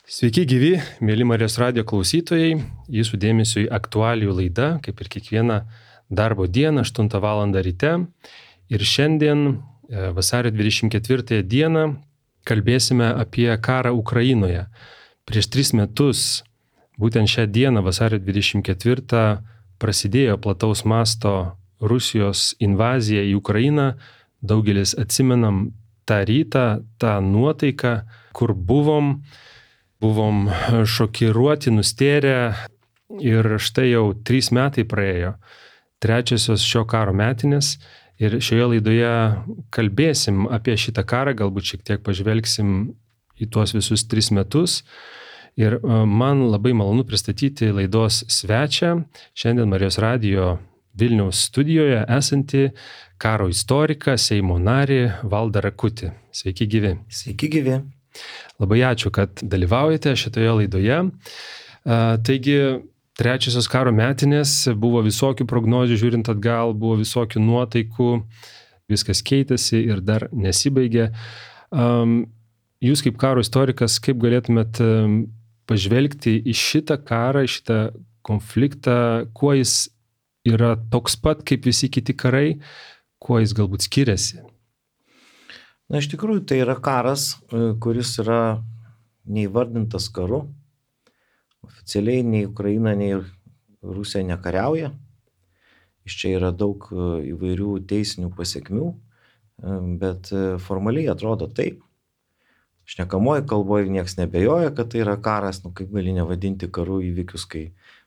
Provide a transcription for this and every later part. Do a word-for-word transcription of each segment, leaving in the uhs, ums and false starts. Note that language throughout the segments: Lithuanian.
Sveiki gyvi, mėly Marijos radijo klausytojai, jūsų dėmesiui aktualijų laida, kaip ir kiekvieną darbo dieną, aštuntą valandą ryte. Ir šiandien, vasario dvidešimt ketvirtąją dieną, kalbėsime apie karą Ukrainoje. Prieš tris metus, būtent šią dieną, vasario dvidešimt ketvirtą, prasidėjo plataus masto Rusijos invazija į Ukrainą. Daugelis atsimenam tą rytą, tą nuotaiką, kur buvom. Buvom šokiruoti, nustėrę ir štai jau trys metai praėjo, trečiosios šio karo metinės ir šioje laidoje kalbėsim apie šitą karą, galbūt šiek tiek pažvelgsim į tuos visus tris metus. Ir man labai malonu pristatyti laidos svečią, šiandien Marijos radijo Vilniaus studijoje esantį karo istoriką, Seimo narį Valdą Rakutį. Sveiki gyvi. Sveiki gyvi. Labai ačiū, kad dalyvaujate šitoje laidoje. Taigi, trečiosios karo metinės, buvo visokių prognozių, žiūrint atgal, buvo visokių nuotaikų, viskas keitėsi ir dar nesibaigė. Jūs kaip karo istorikas, kaip galėtumėt pažvelgti į šitą karą, į šitą konfliktą, kuo jis yra toks pat kaip visi kiti karai, kuo jis galbūt skiriasi? Na, iš tikrųjų, tai yra karas, kuris yra neįvardintas karu. Oficialiai nei Ukraina, nei Rusija nekariauja. Iš čia yra daug įvairių teisinių pasiekmių, bet formaliai atrodo taip. Šnekamoji kalboje nieks nebejoja, kad tai yra karas, nu kaip gali nevadinti karu įvykius, kai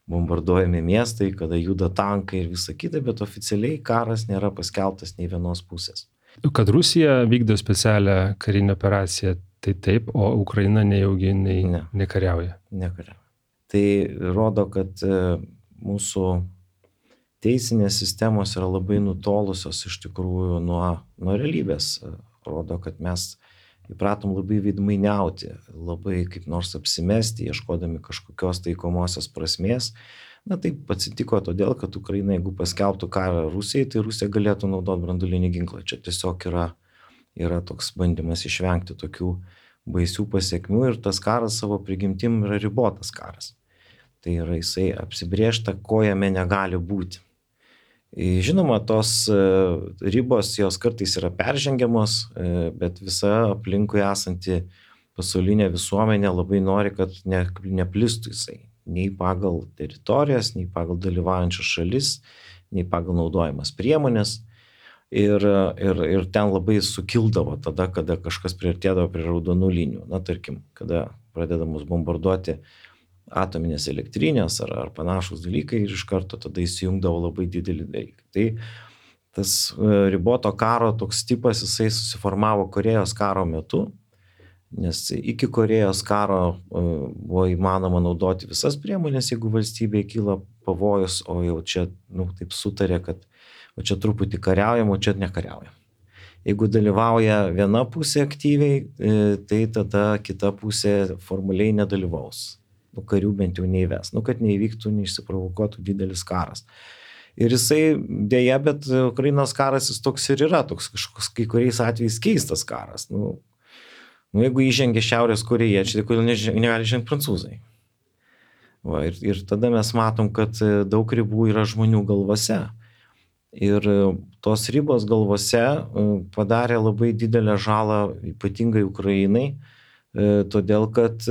bombarduojami miestai, kada juda tankai ir visa kita, bet oficialiai karas nėra paskelbtas nei vienos pusės. Kad Rusija vykdo specialią karinę operaciją, tai taip, o Ukraina nejaugi nei, ne. nekariauja. Nekariauja. Tai rodo, kad mūsų teisinės sistemos yra labai nutolusios iš tikrųjų nuo, nuo realybės. Rodo, kad mes įpratom labai veidmainiauti, labai kaip nors apsimesti, ieškodami kažkokios taikomosios prasmės. Na taip atsitiko todėl, kad Ukraina, jeigu paskelbtų karą Rusijai, tai Rusija galėtų naudoti branduolinį ginklą. Čia tiesiog yra, yra toks bandymas išvengti tokių baisių pasiekmių ir tas karas savo prigimtim yra ribotas karas. Tai yra jisai apsibrėžta, ko jame negali būti. Žinoma, tos ribos jos kartais yra peržengiamos, bet visa aplinkui esanti pasaulinė visuomenė labai nori, kad ne, neplistų jisai. Nei pagal teritorijas, nei pagal dalyvaujančias šalis, nei pagal naudojamas priemonės. Ir, ir, ir ten labai sukildavo tada, kada kažkas priartėdavo prie raudonų linijų. Na, tarkim, kada pradedamos bombarduoti atominės elektrinės ar, ar panašus dalykai ir iš karto tada įsijungdavo labai didelį dalyką. Tai tas riboto karo toks tipas, jisai susiformavo Korėjos karo metu. Nes iki Korėjos karo buvo įmanoma naudoti visas priemonės, jeigu valstybėje kyla pavojus, o jau čia, nu, taip sutarė, kad o čia truputį kariaujam, o čia nekariaujam. Jeigu dalyvauja viena pusė aktyviai, tai tada kita pusė formaliai nedalyvaus. Nu, karių bent jau neįves. Nu, kad neįvyktų, neišsiprovokuotų didelis karas. Ir jisai dėja, bet Ukrainos karas jis toks ir yra, toks kažkoks kai kuriais atvejais keistas karas. Nu, Nu, jeigu įžengia Šiaurės korėjiečiai, tai kodėl negali žengti prancūzai. Va, ir, ir tada mes matom, kad daug ribų yra žmonių galvose. Ir tos ribos galvose padarė labai didelę žalą, ypatingai Ukrainai, todėl kad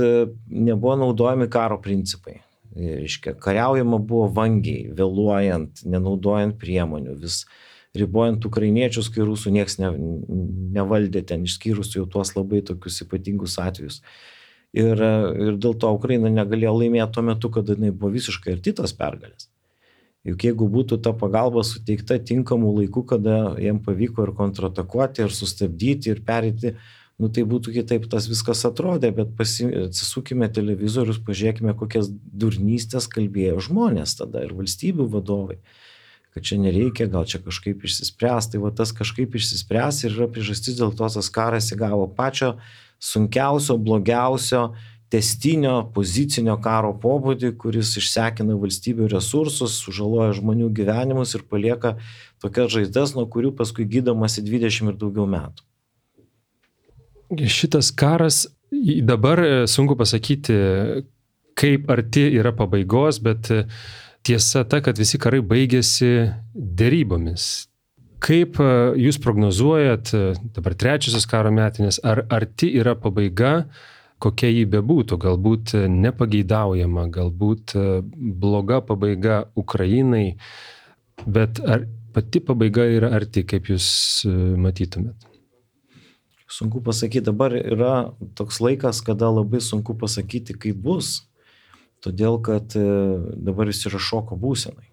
nebuvo naudojami karo principai. Reiškia, kariaujama buvo vangiai, vėluojant, nenaudojant priemonių, vis ribojant ukrainiečius, kai rusų nieks ne, nevaldė ten, išskyrus jau tuos labai tokius ypatingus atvejus. Ir, ir dėl to Ukraina negalėjo laimėti tuo metu, kada jinai buvo visiškai arti tos pergalės. Juk jeigu būtų ta pagalba suteikta tinkamų laikų, kada jiem pavyko ir kontratakuoti, ir sustabdyti, ir pereiti, nu tai būtų kitaip tas viskas atrodė, bet pasi, atsisukime televizorius, pažiūrėkime, kokias durnystės kalbėjo žmonės tada ir valstybių vadovai. Kad čia nereikia, gal čia kažkaip išsispręs, tai va tas kažkaip išsispręs ir yra priežastis, dėl to tas karas įgavo pačio sunkiausio, blogiausio, testinio, pozicinio karo pobūdį, kuris išsekina valstybių resursus, sužaloja žmonių gyvenimus ir palieka tokias žaizdas, nuo kurių paskui gydomasi dvidešimt ir daugiau metų. Šitas karas Dabar sunku pasakyti, kaip arti yra pabaigos, bet tiesa ta, kad visi karai baigėsi derybomis. Kaip jūs prognozuojat, dabar trečiosios karo metinės, ar arti yra pabaiga, kokia jį bebūtų, galbūt nepageidaujama, galbūt bloga pabaiga Ukrainai, bet ar pati pabaiga yra arti, kaip jūs matytumėt? Sunku pasakyti, dabar yra toks laikas, kada labai sunku pasakyti, kaip bus, todėl kad dabar jis yra šoko būsenai.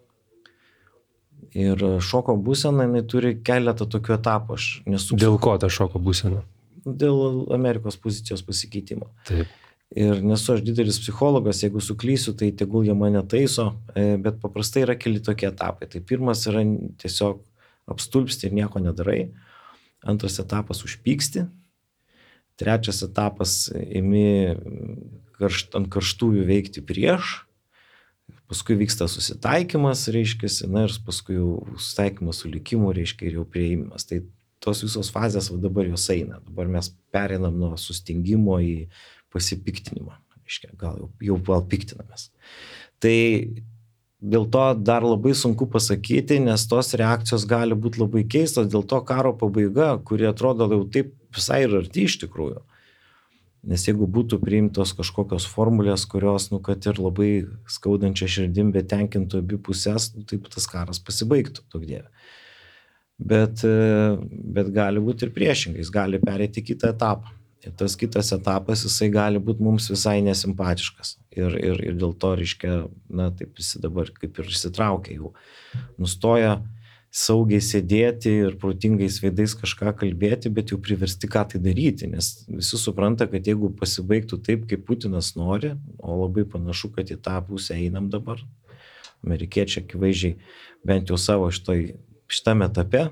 Ir šoko būsena, jinai turi keletą tokių etapų. Aš nesu... Dėl ko ta šoko būsena? Dėl Amerikos pozicijos pasikeitimo. Taip. Ir nesu aš didelis psichologas, jeigu suklysiu, tai tegul jie mane taiso, bet paprastai yra keli tokie etapai. Tai pirmas yra tiesiog apstulpsti ir nieko nedarai. Antras etapas užpyksti. Trečias etapas imi karšt, ant karštųjų veikti prieš. Paskui vyksta susitaikymas, reiškiasi, na ir paskui jau susitaikymas su likimu, reiškia, ir jau prieimimas. Tai tos visos fazės va, dabar jos eina. Dabar mes pereinam nuo sustingimo į pasipiktinimą. Reiškia, gal jau, jau gal piktinamės. Tai dėl to dar labai sunku pasakyti, nes tos reakcijos gali būti labai keistos. Dėl to karo pabaiga, kuri atrodo jau taip visai ir arti iš tikrųjų. Nes jeigu būtų priimtos kažkokios formulės, kurios, nu, kad ir labai skaudančia širdim, bet tenkintų abi pusės, nu, taip tas karas pasibaigtų, daug dieve. Bet, bet gali būti ir priešingai, jis gali pereiti kitą etapą. Ir tas kitas etapas, jisai gali būti mums visai nesimpatiškas. Ir, ir, ir dėl to, reiškia, na, taip visi dabar kaip ir išsitraukia jau. Nustoja saugiai sėdėti ir protingais veidais kažką kalbėti, bet jau priversti ką tai daryti, nes visi supranta, kad jeigu pasibaigtų taip, kaip Putinas nori, o labai panašu, kad į tą pusę einam dabar, amerikiečiai akivaizdžiai bent jau savo šitoj, šitame etape,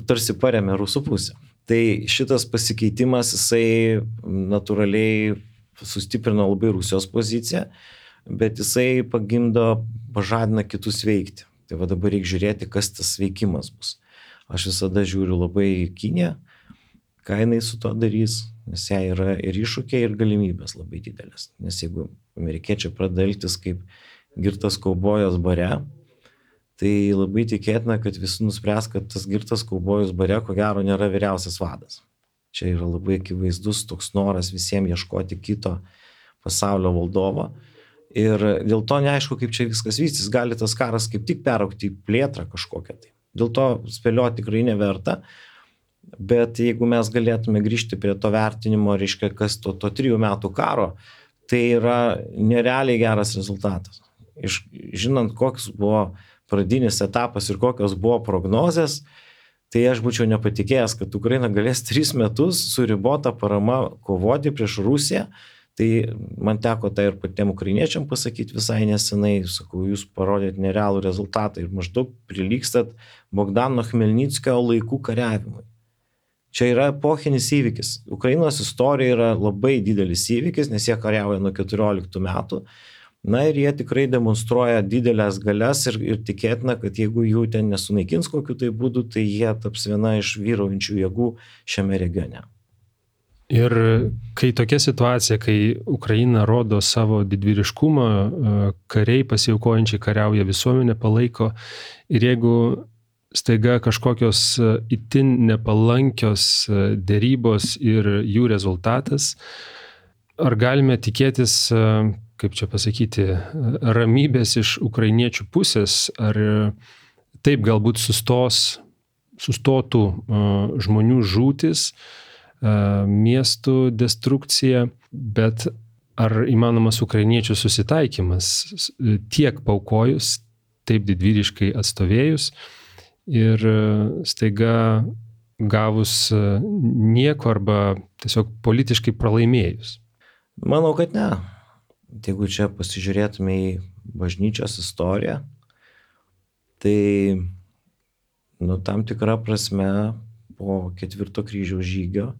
tarsi paremė rusų pusę. Tai šitas pasikeitimas, jisai natūraliai sustiprino labai Rusijos poziciją, bet jisai pagimdo, pažadina kitus veikti. Tai va dabar reikia žiūrėti, kas tas veikimas bus. Aš visada žiūriu labai į Kiniją, ką jinai su to darys, nes jai yra ir iššūkiai, ir galimybės labai didelės. Nes jeigu amerikiečiai pradeda elgtis kaip girtas kaubojas bare, tai labai tikėtina, kad visi nuspręs, kad tas girtas kaubojus bare, ko gero, nėra vyriausias vadas. Čia yra labai akivaizdus toks noras visiems ieškoti kito pasaulio valdovo. Ir dėl to neaišku, kaip čia viskas vystys, gali tas karas kaip tik peraugti į plėtrą kažkokią. Tai. Dėl to spėlioti tikrai neverta, bet jeigu mes galėtume grįžti prie to vertinimo, reiškia, kas to, to trijų metų karo, tai yra nerealiai geras rezultatas. Iš, žinant, koks buvo pradinis etapas ir kokios buvo prognozės, tai aš būčiau nepatikėjęs, kad Ukraina galės tris metus su ribota parama kovoti prieš Rusiją. Tai man teko tai ir patiem ukrainiečiam pasakyti visai nesenai, sakau, jūs parodėt nerealų rezultatą ir maždaug prilygstat Bogdano Chmelnickio laikų kariavimui. Čia yra epochinis įvykis. Ukrainos istorija yra labai didelis įvykis, nes jie kariauja nuo keturioliktų metų. Na ir jie tikrai demonstruoja didelės galias ir, ir tikėtina, kad jeigu jų ten nesunaikins kokiu tai būdu, tai jie taps viena iš vyraujančių jėgų šiame regione. Ir kai tokia situacija, kai Ukraina rodo savo didvyriškumą, kariai pasiaukojančiai kariauja, visuomenė palaiko, ir jeigu staiga kažkokios itin nepalankios derybos ir jų rezultatas, ar galime tikėtis, kaip čia pasakyti, ramybės iš ukrainiečių pusės, ar taip galbūt sustos, sustotų žmonių žūtis, miestų destrukcija, bet ar įmanomas ukrainiečių susitaikymas tiek paukojus, taip didvyriškai atstovėjus ir staiga gavus nieko arba tiesiog politiškai pralaimėjus? Manau, kad ne. Jeigu čia pasižiūrėtume į bažnyčios istoriją, tai nu, tam tikra prasme po ketvirto kryžiaus žygio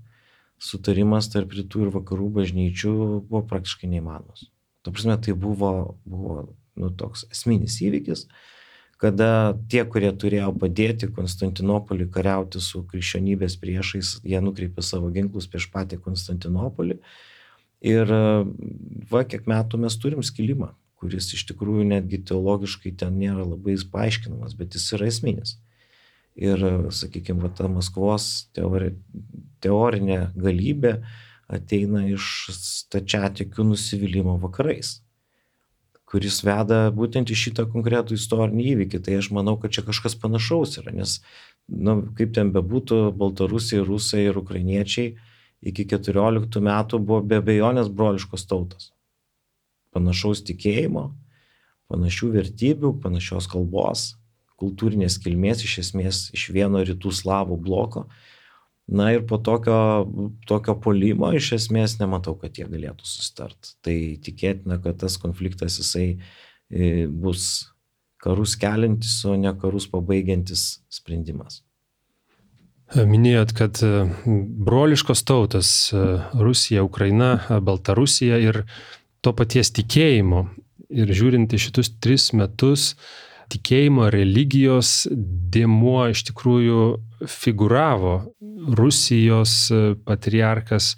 sutarimas tarp rytų ir vakarų bažnyčių buvo praktiškai neįmanomas. Ta prasme, tai buvo, buvo nu, toks esminis įvykis, kada tie, kurie turėjo padėti Konstantinopolį kariauti su krikščionybės priešais, jie nukreipė savo ginklus prieš patį Konstantinopolį. Ir va, kiek metų mes turim skilimą, kuris iš tikrųjų netgi teologiškai ten nėra labai paaiškinamas, bet jis yra esminis. Ir, sakykime, va, ta Maskvos teori, teorinė galybė ateina iš stačiatikių nusivylimų vakarais, kuris veda būtent į šitą konkretų istorinį įvykį. Tai aš manau, kad čia kažkas panašaus yra, nes, nu, kaip ten bebūtų, Baltarusiai, Rusai ir Ukrainiečiai iki keturioliktų metų buvo be abejonės broliškos tautos. Panašaus tikėjimo, panašių vertybių, panašios kalbos, kultūrinės kilmės, iš esmės iš vieno rytų slavų bloko. Na ir po tokio, tokio puolimo iš esmės nematau, kad jie galėtų susitart. Tai tikėtina, kad tas konfliktas jisai bus karus keliantis, o ne karus pabaigiantis sprendimas. Minėjot, kad broliškos tautos Rusija, Ukraina, Baltarusija ir to paties tikėjimo. Ir žiūrint į šitus tris metus, tikėjimo, religijos dėmuo iš tikrųjų figuravo. Rusijos patriarkas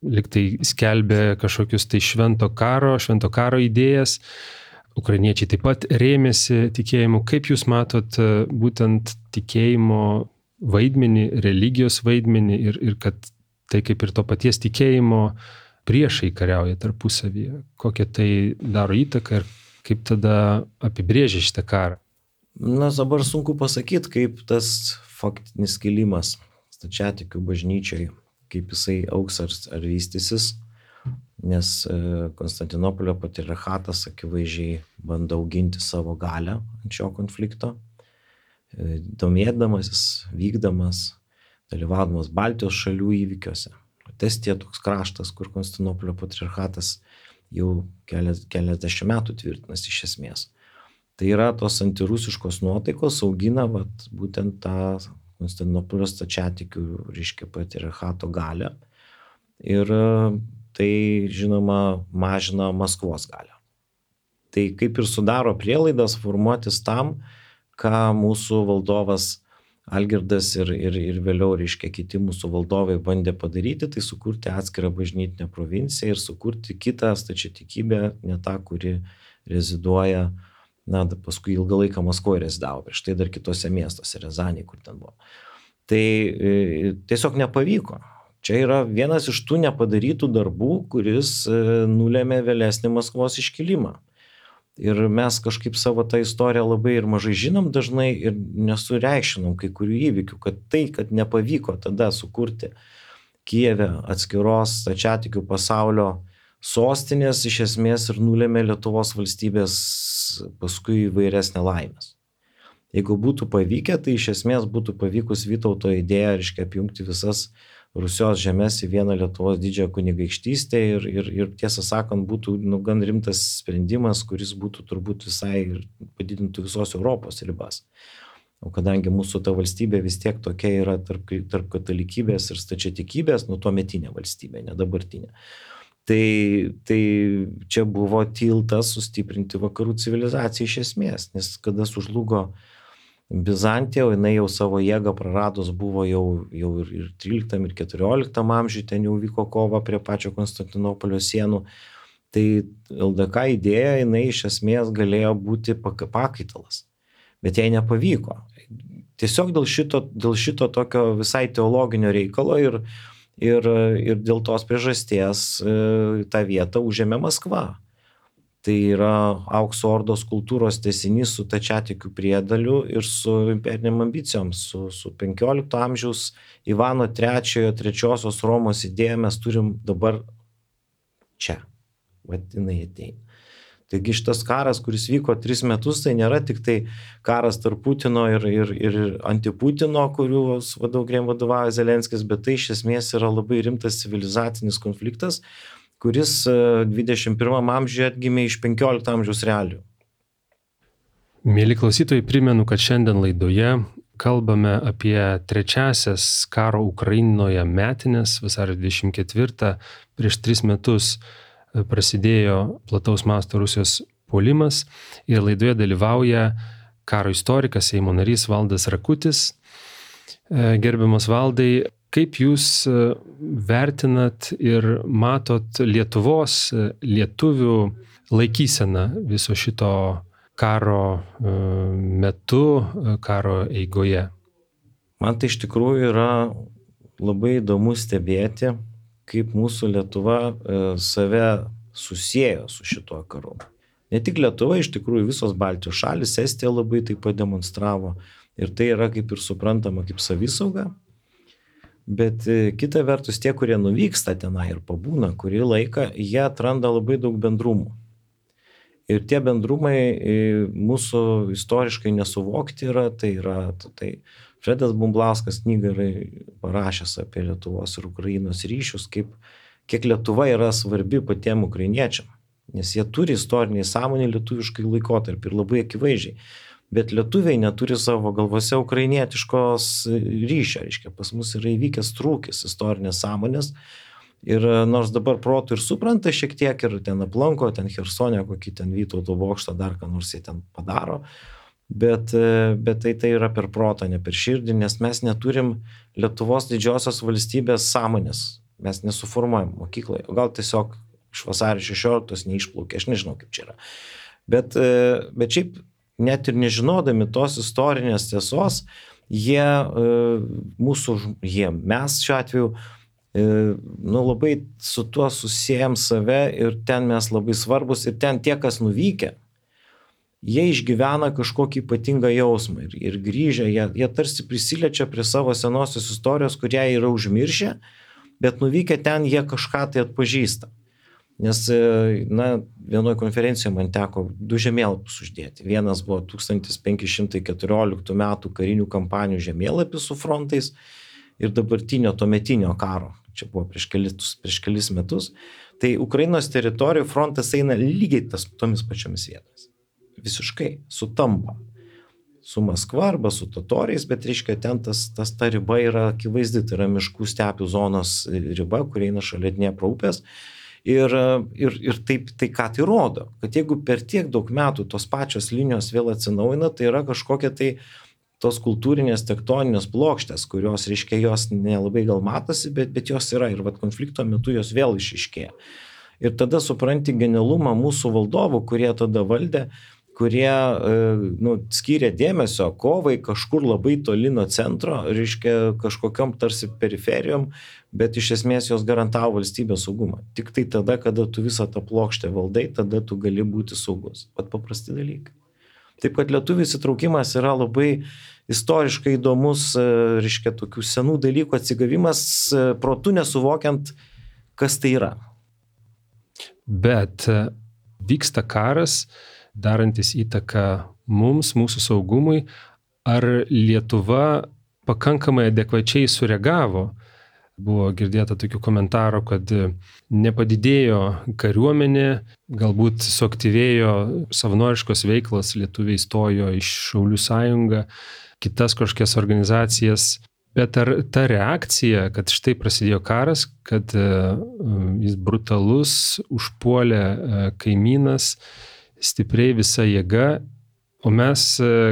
liktai skelbė kažkokius tai švento karo, švento karo idėjas. Ukrainiečiai taip pat rėmėsi tikėjimu. Kaip jūs matot būtent tikėjimo vaidmenį, religijos vaidmenį ir, ir kad tai kaip ir to paties tikėjimo priešai kariauja tarpusavyje? Kokią tai daro įtaką ir kaip tada apibrėžia šitą karą? Na, dabar sunku pasakyti, kaip tas faktinis kilimas stačiatikių bažnyčiai, kaip jisai augs ar, ar vystysis, nes Konstantinopolio patriarchatas akivaizdžiai bando auginti savo galią ant šio konflikto, domėdamasis, vykdamas, dalyvaudamas Baltijos šalių įvykiuose. Estija toks kraštas, kur Konstantinopolio patriarchatas jau kelias, keliasdešimt metų tvirtinasi iš esmės. Tai yra tos antirusiškos nuotaikos augina vat, būtent tą Konstantinopolio stačiatikių, reiškia, patriarchato galią. Ir tai, žinoma, mažina Maskvos galią. Tai kaip ir sudaro prielaidas formuotis tam, ką mūsų valdovas Algirdas ir, ir, ir vėliau, reiškia, kiti mūsų valdovai bandė padaryti, tai sukurti atskirą bažnytinę provinciją ir sukurti kitą stačiatikybę, ne tą, kuri reziduoja, na, paskui ilgą laiką Maskvoje rezidavo, prieš tai dar kitose miestuose, Riazanėje, kur ten buvo. Tai e, tiesiog nepavyko. Čia yra vienas iš tų nepadarytų darbų, kuris e, nulėmė vėlesnį Maskvos iškilimą. Ir mes kažkaip savo tą istoriją labai ir mažai žinom dažnai ir nesureikščinom kai kurių įvykių, kad tai, kad nepavyko tada sukurti Kijeve atskiros stačiatikių pasaulio sostinės, iš esmės ir nulėmė Lietuvos valstybės paskui įvairias nelaimės. Jeigu būtų pavykę, tai iš esmės būtų pavykus Vytauto idėja, reiškia, apjungti visas Rusijos žemės į vieną Lietuvos didžiąją kunigaikštystę ir, ir, ir tiesą sakant, būtų nu, gan rimtas sprendimas, kuris būtų turbūt visai ir padidintų visos Europos ribas. O kadangi mūsų ta valstybė vis tiek tokia yra tarp, tarp katalikybės ir stačiatikybės, nu tuometinė valstybė, ne dabartinė. Tai, tai čia buvo tiltas sustiprinti vakarų civilizaciją iš esmės, nes kada sužlugo Bizantija, jinai jau savo jėgą praradus buvo jau, jau ir, ir tryliktam ir keturioliktam amžiui, ten jau vyko kova prie pačio Konstantinopolio sienų. Tai L D K idėja, jinai iš esmės galėjo būti pakaitalas, bet jai nepavyko. Tiesiog dėl šito, dėl šito tokio visai teologinio reikalo ir, ir, ir dėl tos priežasties tą vietą užėmė Maskva. Tai yra Aukso Ordos kultūros tęsinys su stačiatikių priedaliu ir su imperiniam ambicijom, su, su penkiolikto amžiaus Ivano trečiojo, trečiosios Romos idėja mes turim dabar čia. Vat jinai ateina. Taigi šitas karas, kuris vyko tris metus, tai nėra tik tai karas tarp Putino ir, ir, ir anti-Putino, kuriuo vadovauja Zelenskis, bet tai iš esmės yra labai rimtas civilizacinis konfliktas, kuris dvidešimt pirmam amžiuje atgimė iš penkiolikto amžiaus realijų. Mieli klausytojai, primenu, kad šiandien laidoje kalbame apie trečiasias karo Ukrainoje metinės, vasario dvidešimt ketvirtą, prieš tris metus prasidėjo plataus masto Rusijos puolimas ir laidoje dalyvauja karo istorikas, Seimo narys Valdas Rakutis. Gerbiamas Valdai, kaip jūs vertinat ir matot Lietuvos lietuvių laikyseną viso šito karo metu, karo eigoje? Man tai iš tikrųjų yra labai įdomu stebėti, kaip mūsų Lietuva save susiejo su šituo karu. Ne tik Lietuva, iš tikrųjų visos Baltijos šalis, Estija labai tai pademonstravo ir tai yra kaip ir suprantama kaip savisauga. Bet kita vertus, tie, kurie nuvyksta tenai ir pabūna kurį laiką, jie atranda labai daug bendrumų. Ir tie bendrumai mūsų istoriškai nesuvokti yra, tai yra tai Fredas Bumblauskas knygą yra parašęs apie Lietuvos ir Ukrainos ryšius, kaip, kiek Lietuva yra svarbi patiem ukrainiečiam, nes jie turi istorinį sąmonį lietuviškai laikotarpį ir labai akivaizdžiai, bet lietuviai neturi savo galvose ukrainietiškos ryšio, reiškia, pas mus yra įvykęs trūkis istorinės sąmonės ir nors dabar protų ir supranta šiek tiek ir ten aplanko, ten Chersone, kokį ten Vytauto bokštą, dar ką nors jie ten padaro, Bet, bet tai, tai yra per protą, ne per širdį, nes mes neturim Lietuvos didžiosios valstybės sąmonės. Mes nesuformuojam mokykloje. O gal tiesiog iš vasario šešioliktos neišplaukė, aš nežinau kaip čia yra. Bet, bet šiaip net ir nežinodami tos istorinės tiesos, jie, mūsų, jie, mes šiuo atveju, nu, labai su tuo susijęm save ir ten mes labai svarbus ir ten tie, kas nuvykę, jie išgyvena kažkokį ypatingą jausmą ir, ir grįžę, jie, jie tarsi prisiliečia prie savo senosios istorijos, kurią yra užmiršę, bet nuvykę ten jie kažką tai atpažįsta. Nes, na, vienoje konferencijoje man teko du žemėlapius uždėti. Vienas buvo tūkstantis penki šimtai keturioliktų metų karinių kampanijų žemėlapis su frontais ir dabartinio tuometinio karo. Čia buvo prieš kelis, prieš kelis metus. Tai Ukrainos teritorijų frontas eina lygiai tas, tomis pačiomis vietomis. Visiškai sutampa su Maskva arba su totoriais, bet reiškia ten tas, tas ta riba yra akivaizdi, tai yra miškų stepių zonos riba, kur eina šalia Dniepro upės. Ir, ir, ir taip, tai ką tai rodo, kad jeigu per tiek daug metų tos pačios linijos vėl atsinaujina, tai yra kažkokia tai tos kultūrinės tektoninės plokštės, kurios, reiškia, jos nelabai gal matosi, bet, bet jos yra ir vat konflikto metu jos vėl išiškėja. Ir tada supranti genialumą mūsų valdovų, kurie tada valdė, kurie nu, skyrė dėmesio kovai kažkur labai toli nuo centro, reiškia kažkokiom tarsi periferijom, bet iš esmės jos garantavo valstybės saugumą. Tik tai tada, kada tu visą tą plokštę valdai, tada tu gali būti saugus. Pat paprasti dalykai. Taip kad lietuvių įsitraukimas yra labai istoriškai įdomus, reiškia tokių senų dalykų atsigavimas, protu nesuvokiant, kas tai yra. Bet vyksta karas, darantis įtaką mums, mūsų saugumui, ar Lietuva pakankamai adekvačiai sureagavo? Buvo girdėta tokių komentarų, kad nepadidėjo kariuomenė, galbūt suaktyvėjo savanoriškos veiklos, lietuviai stojo iš Šaulių sąjungą, kitas kažkokias organizacijas. Bet ar ta reakcija, kad štai prasidėjo karas, kad jis brutalus, užpuolė kaimynas, stipriai visa jėga, o mes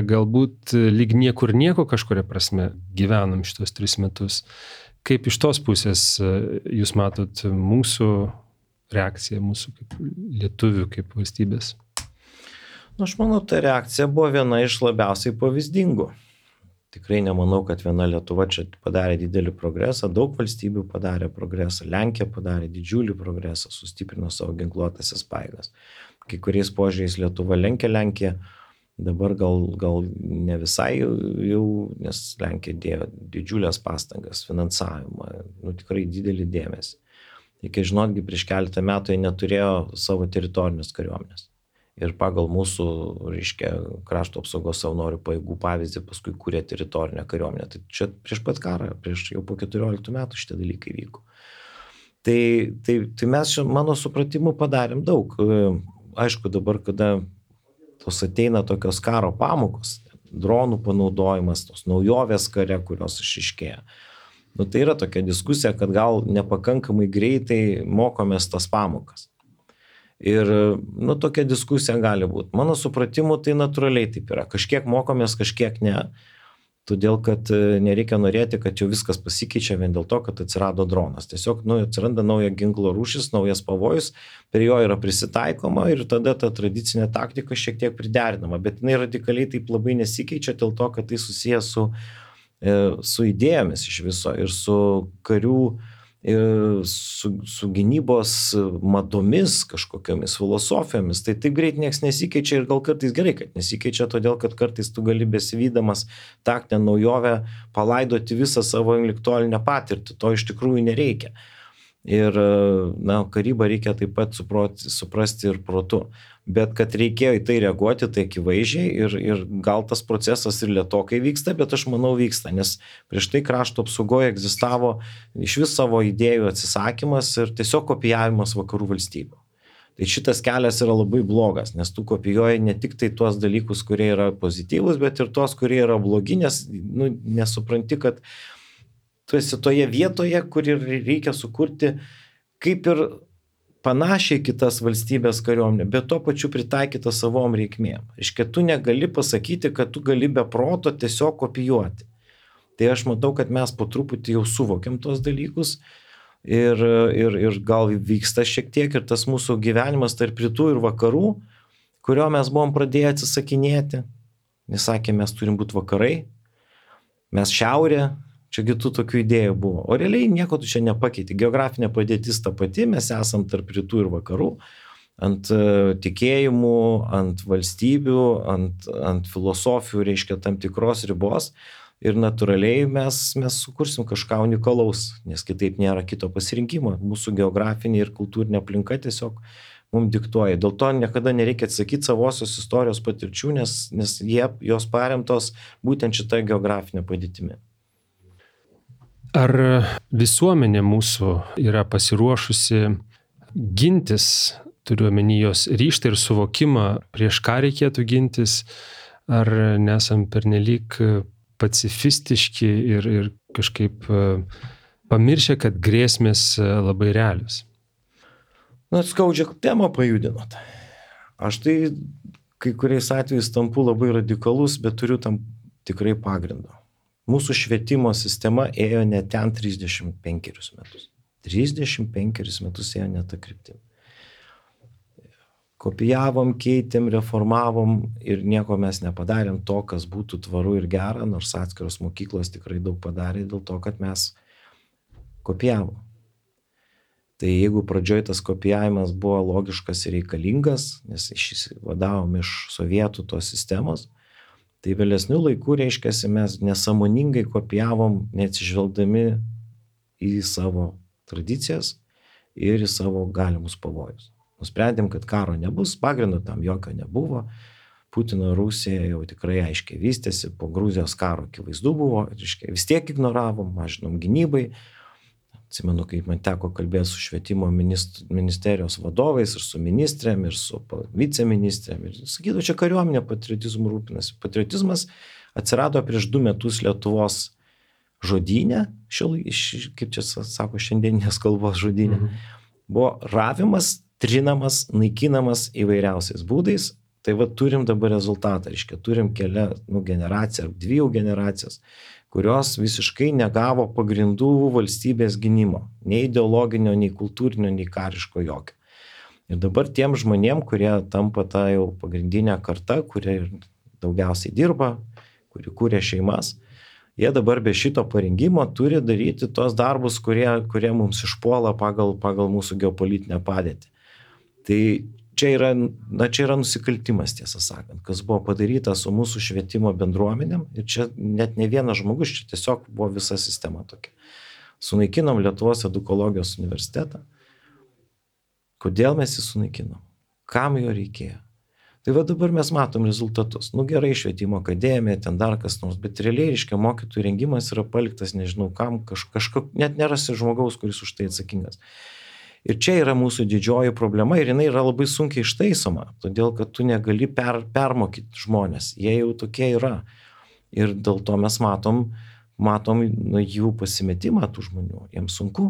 galbūt lyg niekur nieko kažkuria prasme gyvenam šitos tris metus. Kaip iš tos pusės jūs matot mūsų reakciją, mūsų kaip lietuvių, kaip valstybės? Nu, aš manau, ta reakcija buvo viena iš labiausiai pavyzdingų. Tikrai nemanau, kad viena Lietuva čia padarė didelį progresą, daug valstybių padarė progresą, Lenkija padarė didžiulį progresą, sustiprino savo ginkluotąsias pajėgas. Kai kuriais požiūriais Lietuva lenkia Lenkiją, dabar gal, gal ne visai jau, nes Lenkija dėjo didžiulės pastangas, finansavimą, nu tikrai didelį dėmesį. Reikia žinotgi, prieš keletą metų jie neturėjo savo teritorinės kariuomenės. Ir pagal mūsų, reiškia, krašto apsaugos savanorių pajėgų pavyzdį paskui kūrė teritorinę kariuomenę. Tai čia prieš pat karą, prieš jau po keturioliktų metų šitie dalykai vyko. Tai, tai, tai mes, mano supratimu, padarėm daug. Aišku, dabar, kada tos ateina tokios karo pamokos, dronų panaudojimas, tos naujovės kare, kurios išiškėja. Nu, tai yra tokia diskusija, kad gal nepakankamai greitai mokomės tas pamokas. Ir, nu, tokia diskusija gali būti. Mano supratimu, tai natūraliai taip yra. Kažkiek mokomės, kažkiek ne. Todėl, kad nereikia norėti, kad jau viskas pasikeičia vien dėl to, kad atsirado dronas. Tiesiog, nu, atsiranda nauja ginklo rūšis, naujas pavojus, prie jo yra prisitaikoma ir tada ta tradicinė taktika šiek tiek priderinama. Bet jinai radikaliai taip labai nesikeičia dėl to, kad tai susijęs su, su idėjomis iš viso ir su karių, ir su, su gynybos madomis, kažkokiamis filosofijomis. Tai taip greit nieks nesikeičia ir gal kartais gerai, kad nesikeičia, todėl kad kartais tu gali besivydamas taktinę naujovę palaidoti visą savo intelektualinę patirtį. To iš tikrųjų nereikia. Ir, na, karybą reikia taip pat suproti, suprasti ir protu. Bet kad reikėjo į tai reaguoti, tai akivaizdžiai ir, ir gal tas procesas ir lėtokai vyksta, bet aš manau vyksta, nes prieš tai krašto apsaugoje egzistavo iš vis savo idėjų atsisakymas ir tiesiog kopijavimas vakarų valstybių. Tai šitas kelias yra labai blogas, nes tu kopijuoji ne tik tai tuos dalykus, kurie yra pozityvūs, bet ir tuos, kurie yra blogi, nes nu, nesupranti, kad tu esi toje vietoje, kur reikia sukurti kaip ir panašiai kitas valstybės kariuomenė, bet tuo pačiu pritaikyta savom reikmėm. Reiškia, tu negali pasakyti, kad tu gali be proto tiesiog kopijuoti. Tai aš matau, kad mes po truputį jau suvokiam tos dalykus ir, ir, ir gal vyksta šiek tiek ir tas mūsų gyvenimas tarp rytų ir vakarų, kurio mes buvom pradėję atsisakinėti. Nes sakė, mes turim būti vakarai, mes šiaurė. Čiagi tų tokių idėjų buvo. O realiai nieko tu čia nepakeiti. Geografinė padėtis ta pati, mes esam tarp rytų ir vakarų, ant tikėjimų, ant valstybių, ant, ant filosofijų, reiškia tam tikros ribos. Ir natūraliai mes, mes sukursim kažką unikalaus, nes kitaip nėra kito pasirinkimo. Mūsų geografinė ir kultūrinė aplinka tiesiog mums diktuoja. Dėl to niekada nereikia atsakyti savosios istorijos patirčių, nes, nes jie, jos paremtos būtent šitą geografinę padėtimi. Ar visuomenė mūsų yra pasiruošusi gintis, turiu omeny jos ryžtą ir suvokimą, prieš ką reikėtų gintis, ar nesam pernelyg pacifistiški ir, ir kažkaip pamiršę, kad grėsmės labai realios? Na, skaudžią temą pajudinot. Aš tai kai kuriais atvejais tampu labai radikalus, bet turiu tam tikrai pagrindą. Mūsų švietimo sistema ėjo ne ten trisdešimt penkerius metus. trisdešimt penkerius metus ėjo ne tą kryptimį. Kopijavom, keitėm, reformavom ir nieko mes nepadarėm to, kas būtų tvaru ir gera, nors atskiros mokyklos tikrai daug padarė dėl to, kad mes kopijavom. Tai jeigu pradžioj tas kopijavimas buvo logiškas ir reikalingas, nes išvadavom iš sovietų tos sistemos, tai vėlesnių laikų, reiškiasi, mes nesąmoningai kopijavom, neatsižvelgdami į savo tradicijas ir į savo galimus pavojus. Nusprendėm, kad karo nebus, pagrindo tam jokio nebuvo. Putino Rusija jau tikrai aiškiai vystėsi, po Gruzijos karo akivaizdu buvo, reiškia, vis tiek ignoravom, mažinom gynybai. Atsimenu, kaip man teko kalbėti su švietimo ministerijos vadovais ir su ministrėm, ir su viceministrėm. Ir sakytų, čia kariuomenė patriotizmu rūpinasi. Patriotizmas atsirado prieš du metus Lietuvos žodyne, kaip čia sako, šiandieninės kalbos žodyne. Mhm. Buvo ravimas, trinamas, naikinamas įvairiausiais būdais. Tai va turim dabar rezultatą, reiškia, turim kelią nu, generaciją ar dvi generacijas, kurios visiškai negavo pagrindų valstybės gynimo, nei ideologinio, nei kultūrinio, nei kariško jokio. Ir dabar tiem žmonėm, kurie tampa tą jau pagrindinę kartą, kurie daugiausiai dirba, kurie kūrė šeimas, jie dabar be šito parengimo turi daryti tos darbus, kurie, kurie mums išpuola pagal, pagal mūsų geopolitinę padėtį. Tai čia yra, na, čia yra nusikaltimas, tiesą sakant, kas buvo padaryta su mūsų švietimo bendruomenėm. Ir čia net ne vienas žmogus, čia tiesiog buvo visa sistema tokia. Sunaikinom Lietuvos edukologijos universitetą. Kodėl mes jį sunaikinom? Kam jo reikėjo? Tai va dabar mes matom rezultatus. Nu gerai, švietimo akademija, ten dar kas nors, bet realiai, reiškia, mokytojų rengimas yra paliktas, nežinau kam, kaž, kažko, net nerasi žmogaus, kuris už tai atsakingas. Ir čia yra mūsų didžioji problema ir jinai yra labai sunkiai ištaisoma, todėl kad tu negali per, permokyti žmonės, jie jau tokie yra. Ir dėl to mes matom, matom nu, jų pasimetimą tų žmonių, jiems sunku.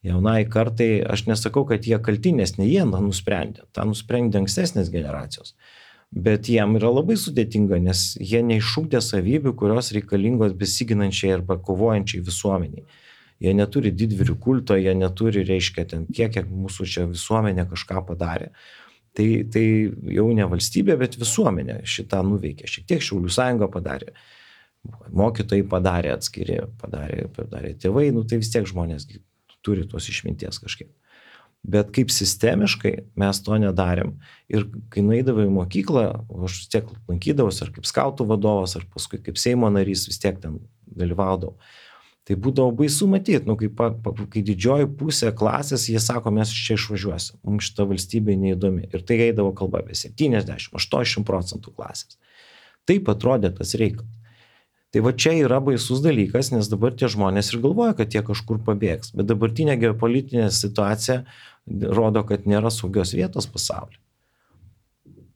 Jaunai kartai, aš nesakau, kad jie kalti, nes ne jie nusprendė, tą nusprendė ankstesnės generacijos. Bet jiem yra labai sudėtinga, nes jie neišugdė savybių, kurios reikalingos besiginančiai arba kovojančiai visuomeniai. Jie neturi didvyrių kulto, jie neturi, reiškia, ten tiek, kiek mūsų čia visuomenė kažką padarė. Tai, tai jau ne valstybė, bet visuomenė šitą nuveikė. Šiek tiek Šaulių sąjunga padarė. Mokytojai padarė atskiri, padarė, padarė tėvai, nu tai vis tiek žmonės turi tos išminties kažkiek. Bet kaip sistemiškai mes to nedarėm. Ir kai nueidavau į mokyklą, aš vis tiek lankydavausi ar kaip skautų vadovas, ar paskui kaip Seimo narys vis tiek ten dalyvaudavau. Tai būdavo baisu matyti, nu, kai, pa, pa, kai didžioji pusė klasės, jie sako, mes iš čia išvažiuosim, mums šita valstybė neįdomi. Ir tai eidavo kalba apie septyniasdešimt aštuoniasdešimt procentų klasės. Taip atrodė tas reikalas. Tai va čia yra baisus dalykas, nes dabar tie žmonės ir galvoja, kad jie kažkur pabėgs. Bet dabartinė geopolitinė situacija rodo, kad nėra saugios vietos pasaulyje.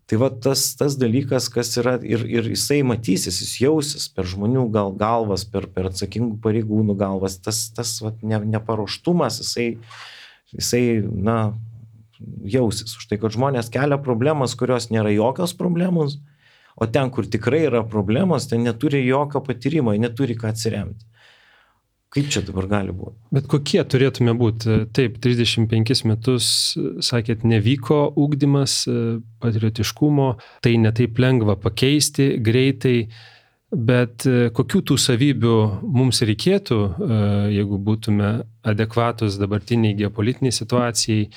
Tai va tas, tas dalykas, kas yra ir, ir jisai matysis, jis jausis per žmonių gal, galvas, per, per atsakingų pareigūnų galvas, tas, tas va, ne, neparuoštumas, jisai, jisai na, jausis. Už tai, kad žmonės kelia problemas, kurios nėra jokios problemos, o ten, kur tikrai yra problemos, ten neturi jokio patyrimo, neturi ką atsiremti. Kaip čia dabar gali būti? Bet kokie turėtume būti? Taip, trisdešimt penkis metus, sakėt, nevyko ugdymas, patriotiškumo, tai netaip lengva pakeisti greitai, bet kokių tų savybių mums reikėtų, jeigu būtume adekvatus dabartiniai geopolitiniai situacijai,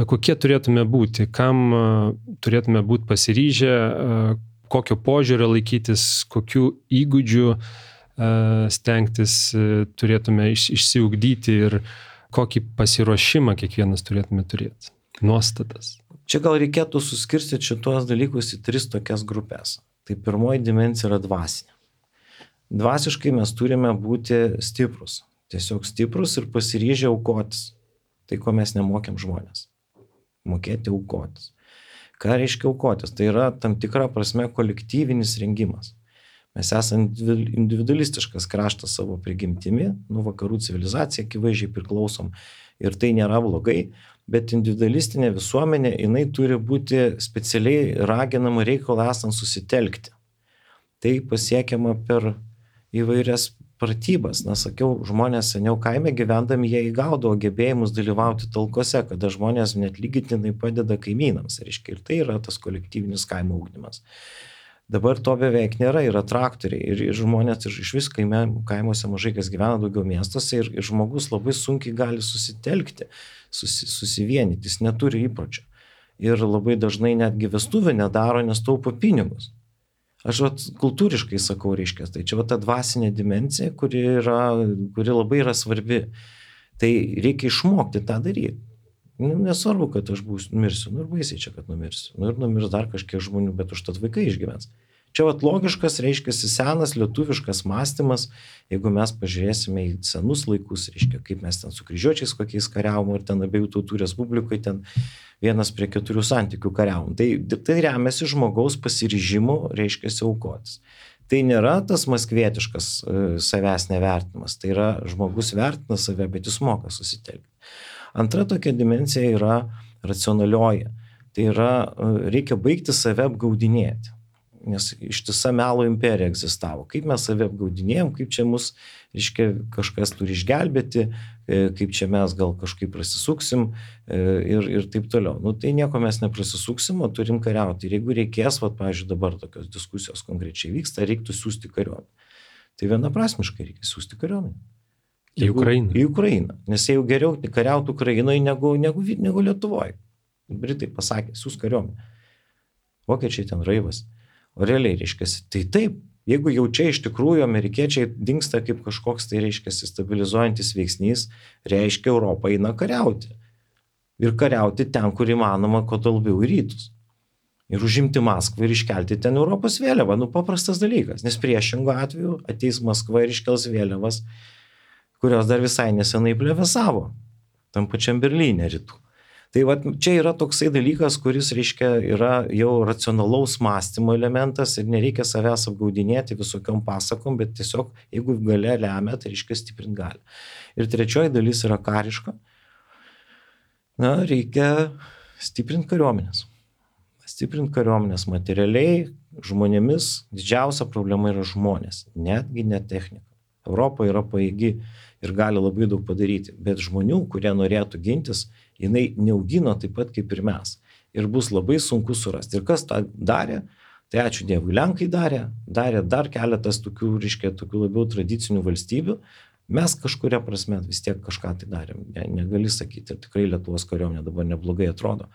kokie turėtume būti, kam turėtume būti pasiryžę, kokio požiūrio laikytis, kokių įgūdžių stengtis turėtume išsiugdyti ir kokį pasiruošimą kiekvienas turėtume turėti, nuostatas. Čia gal reikėtų suskirstyti šitos dalykus į tris tokias grupės. Tai pirmoji dimensija yra dvasinė. Dvasiškai mes turime būti stiprus, tiesiog stiprus ir pasiryžę aukotis. Tai, ko mes nemokėm žmonės. Mokėti aukotis. Ką reiškia aukotis? Tai yra tam tikra prasme kolektyvinis rengimas. Mes esame individualistiškas kraštas savo prigimtimi, nu vakarų civilizacija akivaizdžiai priklausom ir tai nėra blogai, bet individualistinė visuomenė, jinai turi būti specialiai raginama reikalą esant susitelkti. Tai pasiekiama per įvairias pratybas. Na, sakiau, žmonės seniau kaime gyvendami, jie įgaudavo gebėjimus dalyvauti talkose, kada žmonės net lygitinai padeda kaimynams. Reiškia, ir tai yra tas kolektyvinis kaimo ugdymas. Dabar to beveik nėra, yra traktoriai ir, ir žmonės ir iš vis kaime, kaimuose mažai kas gyvena, daugiau miestuose ir, ir žmogus labai sunkiai gali susitelkti, susi, susivienyti, jis neturi įpročio. Ir labai dažnai netgi vestuvę nedaro, nes taupo pinigus. Aš vat, kultūriškai sakau, reiškia, tai čia vat, ta dvasinė dimensija, kuri, yra, kuri labai yra svarbi. Tai reikia išmokti tą daryti. Nu, nesvarbu, kad aš būsiu, numirsiu, nu ir baisiai čia, kad numirsiu. Nu ir numirs dar kažkiek žmonių, bet užtat vaikai išgyvens. Čia vat logiškas, reiškia, senas lietuviškas mąstymas, jeigu mes pažiūrėsime į senus laikus, reiškia, kaip mes ten su kryžiuočiais kokiais kariavom, ir ten abiejų tautų respublikai ten vienas prie keturių santykių kariavom. Tai, tai remiasi žmogaus pasiryžimu, reiškia, aukotis. Tai nėra tas maskvietiškas e, savęs nevertinimas, tai yra žmogus vertina save, bet jis moka susitelkti. Antra tokia dimensija yra racionalioji. Tai yra, e, reikia baigti save apgaudinėti. Nes ištisa melo imperija egzistavo. Kaip mes save apgaudinėjom, kaip čia mus, reiškia, kažkas turi išgelbėti, kaip čia mes gal kažkaip prasisuksim ir, ir taip toliau. Nu, tai nieko mes neprasisuksim, o turim kariauti. Ir jeigu reikės, vat, pavyzdžiui, dabar tokios diskusijos konkrečiai vyksta, reiktų siųsti kariuomenę. Tai vienaprasmiškai reikia siųsti kariuomenę. Į Ukrainą. Į Ukrainą. Nes jau geriau kariauti Ukrainoje negu, negu, negu Lietuvoje. Britai pasakė, siūs kariuomenę. Vokiečiai ten raivas. O realiai, reiškia, tai taip, jeigu jau čia iš tikrųjų amerikiečiai dingsta kaip kažkoks, tai reiškia, stabilizuojantis veiksnys, reiškia, Europą eina kariauti. Ir kariauti ten, kur įmanoma, kuo labiau į rytus. Ir užimti Maskvą ir iškelti ten Europos vėliavą. Nu, paprastas dalykas, nes priešingo atveju ateis Maskva ir iškels vėliavas, kurios dar visai nesenai plevėsavo tam pačiam Berlyne rytų. Tai va, čia yra toksai dalykas, kuris, reiškia, yra jau racionalaus mąstymo elementas ir nereikia savęs apgaudinėti visokiom pasakom, bet tiesiog, jeigu galia lemia, tai reiškia stiprint gali. Ir trečioji dalis yra kariška. Na, reikia stiprinti kariuomenės. Stiprinti kariuomenės materialiai, žmonėmis. Didžiausia problema yra žmonės, netgi ne technika. Europa yra pajėgi ir gali labai daug padaryti, bet žmonių, kurie norėtų gintis, jinai neaugino taip pat kaip ir mes. Ir bus labai sunku surasti. Ir kas tą darė, tai ačiū Dievui, Lenkai darė, darė dar keletas tokių, reiškia, tokių labiau tradicinių valstybių. Mes kažkuria prasme vis tiek kažką tai darėm, ne, negali sakyti, ir tikrai Lietuvos kariuomenė dabar neblogai atrodo.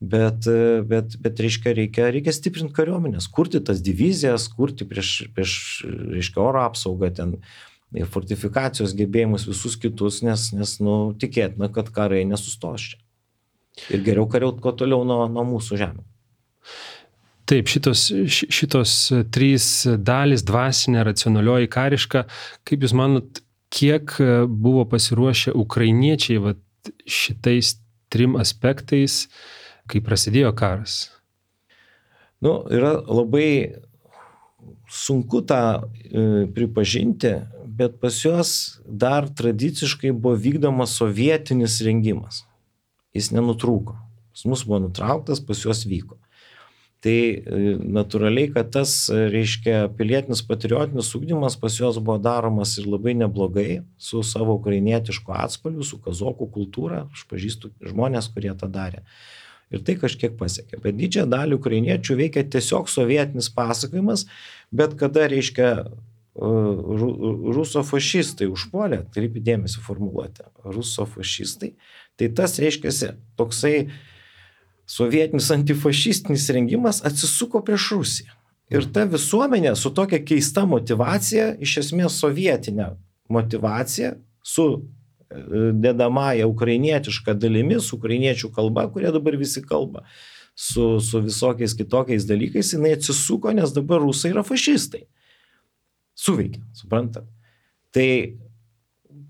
Bet, bet, bet reiškia, reikia, reikia stiprinti kariuomenės, kurti tas divizijas, kurti prieš, prieš reiškia, oro apsaugą ten ir fortifikacijos gebėjimus visus kitus, nes, nes nu, tikėtina, kad karai nesustos čia. Ir geriau kariaut kuo toliau nuo, nuo mūsų žemė. Taip, šitos, šitos trys dalys, dvasinė, racionalioji, kariška, kaip Jūs manot, kiek buvo pasiruošę ukrainiečiai vat, šitais trim aspektais, kai prasidėjo karas? Nu, yra labai sunku tą e, pripažinti, bet pas juos dar tradiciškai buvo vykdomas sovietinis rengimas. Jis nenutrūko. Pas mus buvo nutrauktas, pas juos vyko. Tai e, natūraliai, kad tas, reiškia, pilietinis patriotinis ugdymas pas juos buvo daromas ir labai neblogai su savo ukrainietišku atspalviu, su kazokų kultūra. Aš pažįstu žmonės, kurie tą darė. Ir tai kažkiek pasiekė. Bet didžiąją dalį ukrainiečių veikia tiesiog sovietinis pasakojimas, bet kada, reiškia, rusofašistai užpuolė, atkreipi dėmesį formuluotę, rusofašistai, tai tas, reiškia, toksai sovietinis antifašistinis rengimas atsisuko prieš Rusiją. Ir ta visuomenė su tokia keista motyvacija, iš esmės sovietinė motyvacija, su dedamąją ukrainietišką dalimi, su ukrainiečių kalba, kurie dabar visi kalba, su, su visokiais kitokiais dalykais, jinai atsisuko, nes dabar rusai yra fašistai. Suveikia, suprantat. Tai,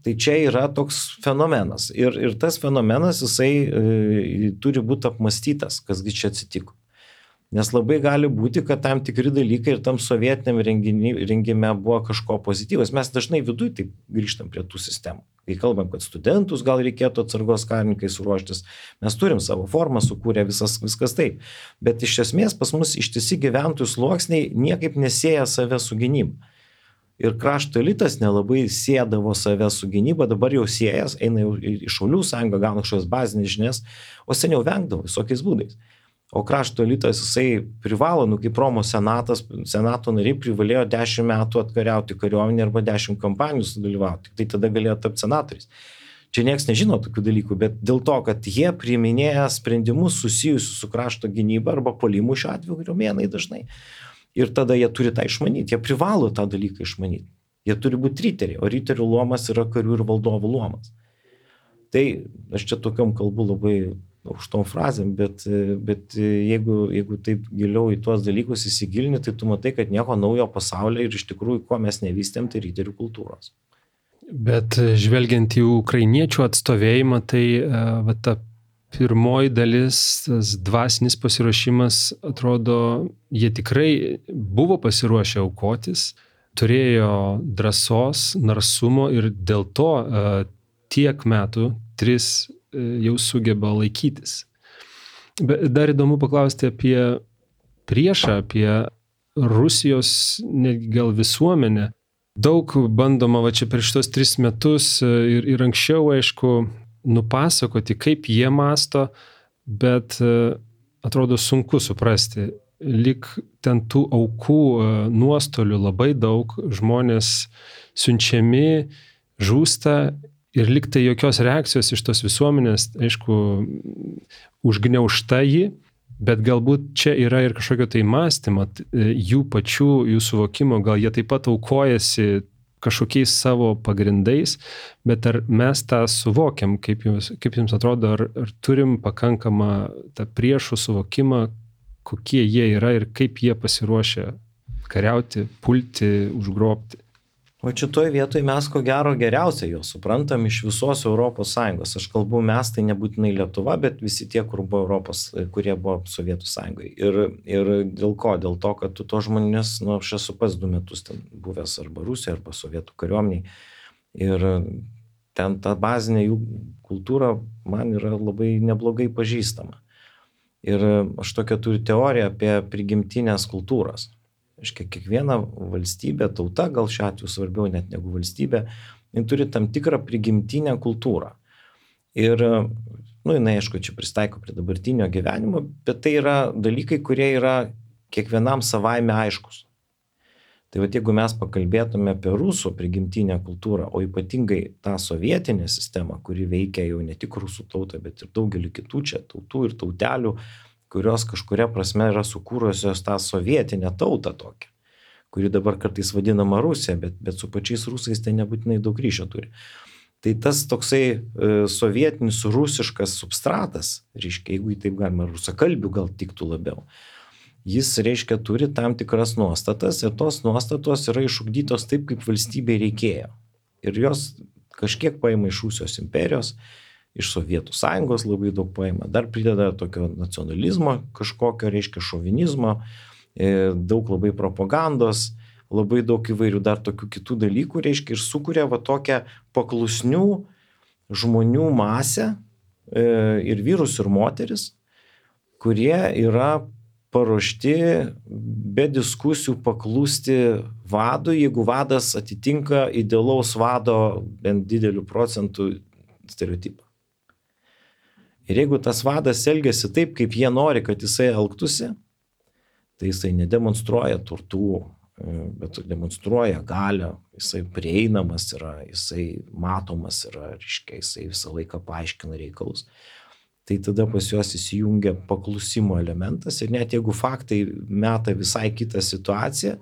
tai čia yra toks fenomenas. Ir, ir tas fenomenas, jisai e, turi būti apmastytas, kasgi čia atsitiko. Nes labai gali būti, kad tam tikri dalykai ir tam sovietiniam rengime buvo kažko pozityvas. Mes dažnai viduj taip grįžtam prie tų sistemų. Kai kalbam, kad studentus gal reikėtų atsargos karininkais ruoštis, mes turim savo formą sukūrę, visas, viskas taip. Bet iš esmės pas mus ištisi gyventojų sluoksniai niekaip nesieja save su gynyba. Ir krašto elitas nelabai sėdavo save su gynyba, dabar jau siejas, eina jau į Šaulių sąjungą, gauna kažkokias bazinės žinias, o seniau vengdavo visokiais būdais. O krašto elitas, jisai privalo, nu kaip Romos senatas, senato nariai privalėjo dešimt metų atkariauti kariuomenę arba dešimt kampanijų sudalyvauti. Tai tada galėjo tapti senatoriais. Čia nieks nežino tokių dalykų, bet dėl to, kad jie priiminėja sprendimus susijusius su krašto gynyba arba puolimu šiuo atveju kariuomenei dažnai. Ir tada jie turi tą išmanyti, jie privalo tą dalyką išmanyti. Jie turi būti riteriai, o riterių luomas yra karių ir valdovų luomas. Tai aš čia tokiom kalbu labai aukštom frazėm, bet, bet jeigu, jeigu taip giliau į tuos dalykus įsigilini, tai tu matai, kad nieko naujo pasaulyje ir iš tikrųjų, ko mes nevystėm, tai riterių kultūros. Bet žvelgiant į ukrainiečių atstovėjimą, tai va, ta pirmoji dalis, tas dvasinis pasiruošimas, atrodo, jie tikrai buvo pasiruošę aukotis, turėjo drąsos, narsumo ir dėl to tiek metų, tris jau sugeba laikytis. Bet dar įdomu paklausti apie priešą, apie Rusijos netgi gal visuomenę. Daug bandoma va čia per šitos tris metus ir, ir anksčiau, aišku, nupasakoti, kaip jie masto, bet atrodo sunku suprasti. Lyg ten tų aukų nuostolių labai daug, žmonės siunčiami, žūsta, ir lyg tai jokios reakcijos iš tos visuomenės, aišku, užgniaužta jį, bet galbūt čia yra ir kažkokio tai mąstymo, jų pačių, jų suvokimo, gal jie taip pat aukojasi kažkokiais savo pagrindais, bet ar mes tą suvokiam, kaip jums, kaip jums atrodo, ar, ar turim pakankamą tą priešų suvokimą, kokie jie yra ir kaip jie pasiruošia kariauti, pulti, užgrobti. O šitoje vietoje mes ko gero geriausiai jo suprantam iš visos Europos Sąjungos. Aš kalbu mes, tai nebūtinai Lietuva, bet visi tie, kur buvo Europos, kurie buvo Sovietų Sąjungoje. Ir, ir dėl ko? Dėl to, kad tu to žmonės, nu, aš esu pats du metus ten buvęs arba Rusijoje, arba Sovietų kariuomeniai. Ir ten ta bazinė jų kultūra man yra labai neblogai pažįstama. Ir aš tokią turiu teoriją apie prigimtinės kultūras. Aiškia, kiekviena valstybė, tauta, gal šiuo atveju svarbiau net negu valstybė, jin turi tam tikrą prigimtinę kultūrą. Ir, nu, jinai, aišku, čia pristaiko prie dabartinio gyvenimo, bet tai yra dalykai, kurie yra kiekvienam savaime aiškus. Tai va, jeigu mes pakalbėtume apie rusų prigimtinę kultūrą, o ypatingai tą sovietinę sistemą, kuri veikia jau ne tik rusų tautą, bet ir daugelį kitų čia tautų ir tautelių, kurios kažkuria prasme yra sukūrusios tą sovietinę tautą tokią, kuri dabar kartais vadinama Rusija, bet, bet su pačiais rusais tai nebūtinai daug ryšio turi. Tai tas toksai e, sovietinis rusiškas substratas, reiškia, jeigu taip galima, rusakalbių gal tiktų labiau, jis, reiškia, turi tam tikras nuostatas ir tos nuostatos yra išugdytos taip, kaip valstybei reikėjo. Ir jos kažkiek paima iš Rusijos imperijos, iš Sovietų sąjungos labai daug paima, dar prideda tokio nacionalizmo kažkokio, reiškia, šovinizmo, daug labai propagandos, labai daug įvairių dar tokių kitų dalykų, reiškia, ir sukuria va tokią paklusnių žmonių masę ir vyrus ir moteris, kurie yra paruošti be diskusijų paklusti vadui, jeigu vadas atitinka idealaus vado bent didelių procentų stereotipą. Ir jeigu tas vadas elgiasi taip, kaip jie nori, kad jisai elgtųsi, tai jisai nedemonstruoja turtų, bet demonstruoja galią, jisai prieinamas yra, jisai matomas yra, reiškia, jisai visą laiką paaiškina reikalus. Tai tada pas juos įsijungia paklusimo elementas ir net jeigu faktai meta visai kitą situaciją,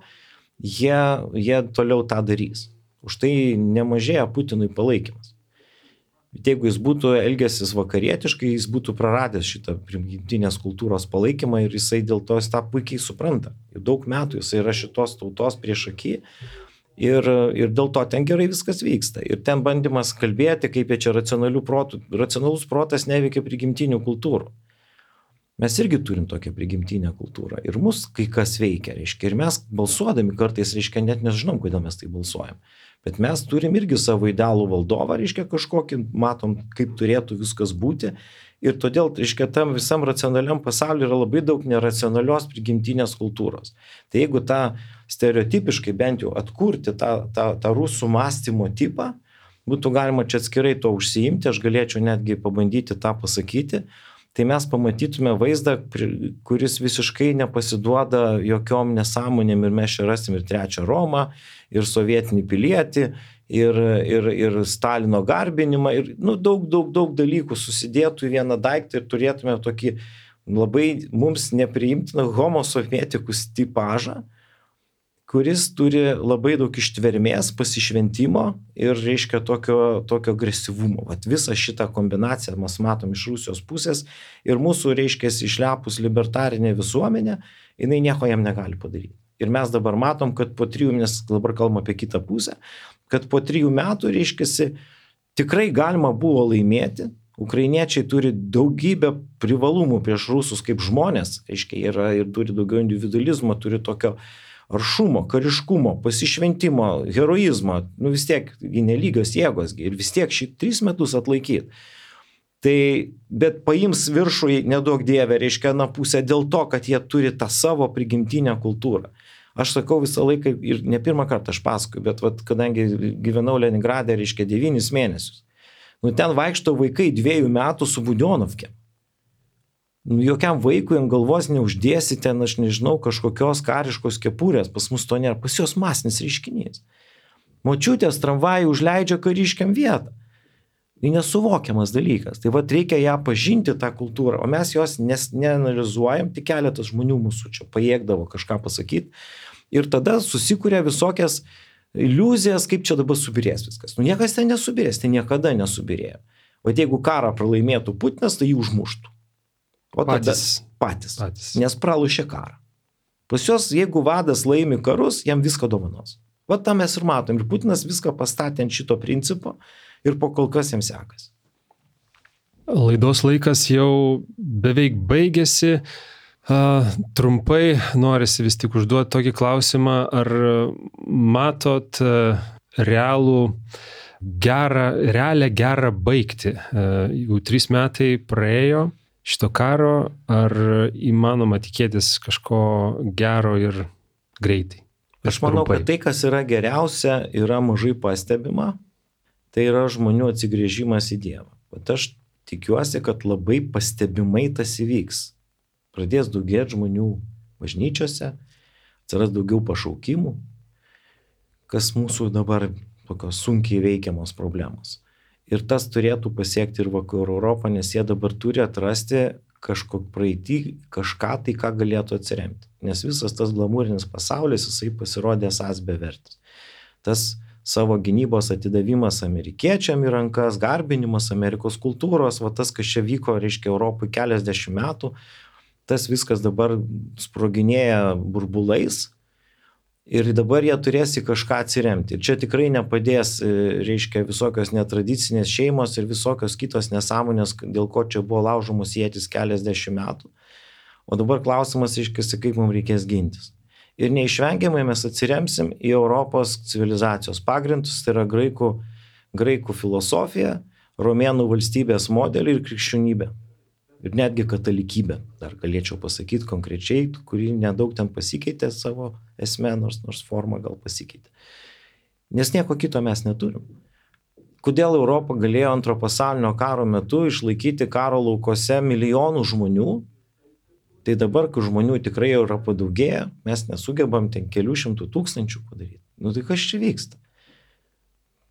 jie, jie toliau tą darys. Už tai nemažėja Putinui palaikymas. Bet jeigu jis būtų elgęsis vakarietiškai, jis būtų praradęs šitą prigimtinės kultūros palaikymą ir jisai dėl to jis tą puikiai supranta. Jau daug metų jisai yra šitos tautos priešaky ir, ir dėl to ten gerai viskas vyksta. Ir ten bandymas kalbėti, kaip jie čia racionalių protų, racionalus protas neveikia prigimtinių kultūrų. Mes irgi turim tokią prigimtinę kultūrą ir mus kai kas veikia, reiškia, ir mes balsuodami kartais, reiškia, net nežinom, kodėl mes tai balsuojam. Bet mes turim irgi savo idealų valdovą, reiškia, kažkokį, matom, kaip turėtų viskas būti. Ir todėl, reiškia, tam visam racionaliam pasauliu yra labai daug neracionalios prigimtinės kultūros. Tai jeigu tą stereotipiškai bent jau atkurti tą, tą, tą rusų mąstymo tipą, būtų galima čia atskirai to užsiimti, aš galėčiau netgi pabandyti tą pasakyti, tai mes pamatytume vaizdą, kuris visiškai nepasiduoda jokiom nesąmonėm ir mes čia rasim ir trečią Romą, ir sovietinį pilietį, ir, ir, ir Stalino garbinimą, ir nu, daug, daug, daug dalykų susidėtų į vieną daiktą ir turėtume tokį labai mums nepriimtiną homo sovietikus tipažą, kuris turi labai daug ištvermės, pasišventimo ir, reiškia, tokio, tokio agresyvumo. Vat visą šitą kombinaciją mes matom iš Rusijos pusės ir mūsų, reiškia, išlepus libertarinė visuomenė, jinai nieko jam negali padaryti. Ir mes dabar matom, kad po trijų, nes dabar kalbam apie kitą pusę, kad po trijų metų, reiškia, tikrai galima buvo laimėti. Ukrainiečiai turi daugybę privalumų prieš rusus kaip žmonės, reiškia, yra ir turi daugiau individualizmo, turi tokio aršumo, kariškumo, pasišventimo, heroizmo, nu vis tiek nelygios jėgos ir vis tiek šį tris metus atlaikyti. Tai, bet paims viršų nedaug dievė, reiškia, na pusę dėl to, kad jie turi tą savo prigimtinę kultūrą. Aš sakau visą laiką ir ne pirmą kartą aš pasakoju, bet vat, kadangi gyvenau Leningrade, reiškia, devynis mėnesius. Nu ten vaikšto vaikai dviejų metų su Budionovke. Nu, jokiam vaikui ant galvos neuždėsi ten, aš nežinau, kažkokios kariškos kepurės, pas mus to nėra, pas jos masinis reiškinys. Močiutės tramvajų užleidžia kariškiam vietą. Tai nesuvokiamas dalykas. Tai vat reikia ją pažinti, tą kultūrą, o mes jos nes, neanalizuojam, tik keletas žmonių mūsų čia pajėgdavo kažką pasakyti. Ir tada susikuria visokias iliuzijas, kaip čia dabar subirės viskas. Nu, niekas ten nesubirės, tai niekada nesubirėjo. O jeigu karą pralaimėtų Putinas, tai jį užmuštų. O tada patys, patys, patys. Nes pralošė karą. Pas jos, jeigu vadas laimi karus, jam viską dovanos. Va tą mes ir matom. Ir Putinas viską pastatė ant šito principo ir po kol kas jam sekasi. Laidos laikas jau beveik baigėsi. Uh, trumpai norisi vis tik užduoti tokį klausimą, ar matot uh, realų gerą, realią gerą baigtį. Jau trys metai praėjo šito karo, ar įmanoma tikėtis kažko gero ir greitai? Aš manau, kad tai, kas yra geriausia, yra mažai pastebima, tai yra žmonių atsigrėžimas į Dievą. Bet aš tikiuosi, kad labai pastebimai tas įvyks. Pradės daugėti žmonių bažnyčiose, atsiras daugiau pašaukimų, kas mūsų dabar tokios sunkiai veikiamos problemos. Ir tas turėtų pasiekti ir Vakarų Europą, nes jie dabar turi atrasti kažkok praeitį, kažką tai, ką galėtų atsiremti. Nes visas tas glamūrinis pasaulis, jisai pasirodė esąs bevertis. Tas savo gynybos atidavimas amerikiečiam į rankas, garbinimas Amerikos kultūros, va tas, kas čia vyko, reiškia, Europai keliasdešimt metų, tas viskas dabar sproginėja burbulais ir dabar jie turės į kažką atsiremti. Ir čia tikrai nepadės, reiškia, visokios netradicinės šeimos ir visokios kitos nesąmonės, dėl ko čia buvo laužomos ietis keliasdešimt metų. O dabar klausimas iškėsi, kaip mums reikės gintis. Ir neišvengiamai mes atsiremsim į Europos civilizacijos pagrindus, tai yra graikų, graikų filosofija, romėnų valstybės modelį ir krikščionybę. Ir netgi katalikybę, dar galėčiau pasakyti konkrečiai, kuri nedaug ten pasikeitė savo esmę, nors, nors forma gal pasikeitė. Nes nieko kito mes neturim. Kodėl Europa galėjo antro pasaulinio karo metu išlaikyti karo laukose milijonų žmonių, tai dabar, kai žmonių tikrai yra padaugėję, mes nesugebam ten kelių šimtų tūkstančių padaryti. Nu tai kas čia vyksta?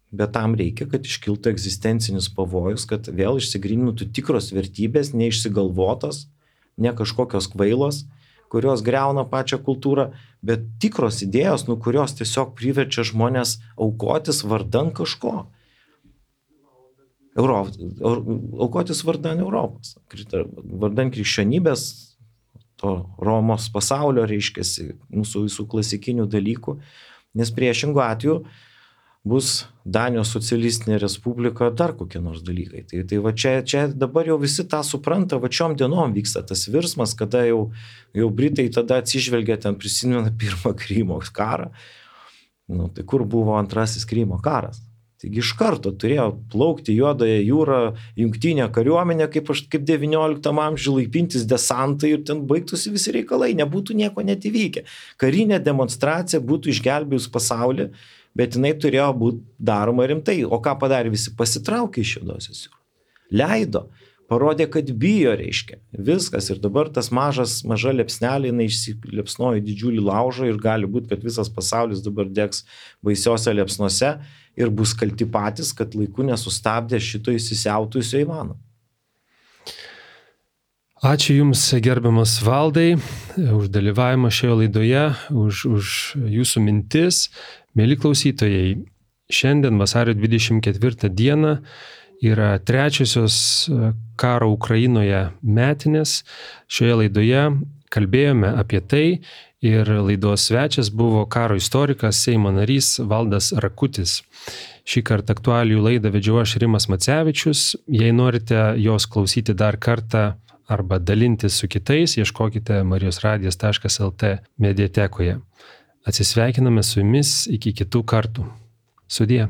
Bet tam reikia, kad iškiltų egzistencinis pavojus, kad vėl išsigrynintų tikros vertybės, neišsigalvotos, ne kažkokios kvailos, kurios greuna pačią kultūrą, bet tikros idėjos, nu, kurios tiesiog priverčia žmonės aukotis vardan kažko. Europ, aukotis vardan Europos, vardan krikščionybės, to Romos pasaulio, reiškiasi, mūsų visų klasikinių dalykų, nes priešingų atveju bus Danijos socialistinė respublika, dar kokie nors dalykai. Tai, tai va čia, čia dabar jau visi tą supranta, va čiom dienom vyksta tas virsmas, kada jau, jau Britai tada atsižvelgia, ten prisimena pirmą Krymo karą. Nu, tai kur buvo antrasis Krymo karas? Taigi iš karto turėjo plaukti Juodąją jūrą, jungtinė kariuomenė, kaip, kaip devynioliktam amžiuje laipintis desantai ir ten baigtųsi visi reikalai, nebūtų nieko net įvykę. Karinė demonstracija būtų išgelbėjus pasaulį, bet jinai turėjo būti daroma rimtai. O ką padarė visi? Pasitraukė iš Juodosios jūros. Leido, parodė, kad bijo, reiškia. Viskas. Ir dabar tas mažas, maža liepsnelė, jinai išsiliepsnojo didžiulį laužą ir gali būti, kad visas pasaulis dabar degs baisiose liepsnose ir bus kalti patys, kad laiku nesustabdė šito įsisiautusio Ivano. Ačiū Jums, gerbiamas Valdai, už dalyvavimą šioje laidoje, už, už Jūsų mintis. Mėly klausytojai, šiandien vasario dvidešimt ketvirtą dieną yra trečiosios karo Ukrainoje metinės. Šioje laidoje kalbėjome apie tai ir laidos svečias buvo karo istorikas, Seimo narys Valdas Rakutis. Šį kartą aktualijų laidą vedžiau aš Rimas Macevičius. Jei norite jos klausyti dar kartą arba dalintis su kitais, ieškokite marijos radijas taškas el tė mediatekoje. Atsisveikiname su Jumis iki kitų kartų. Sudie.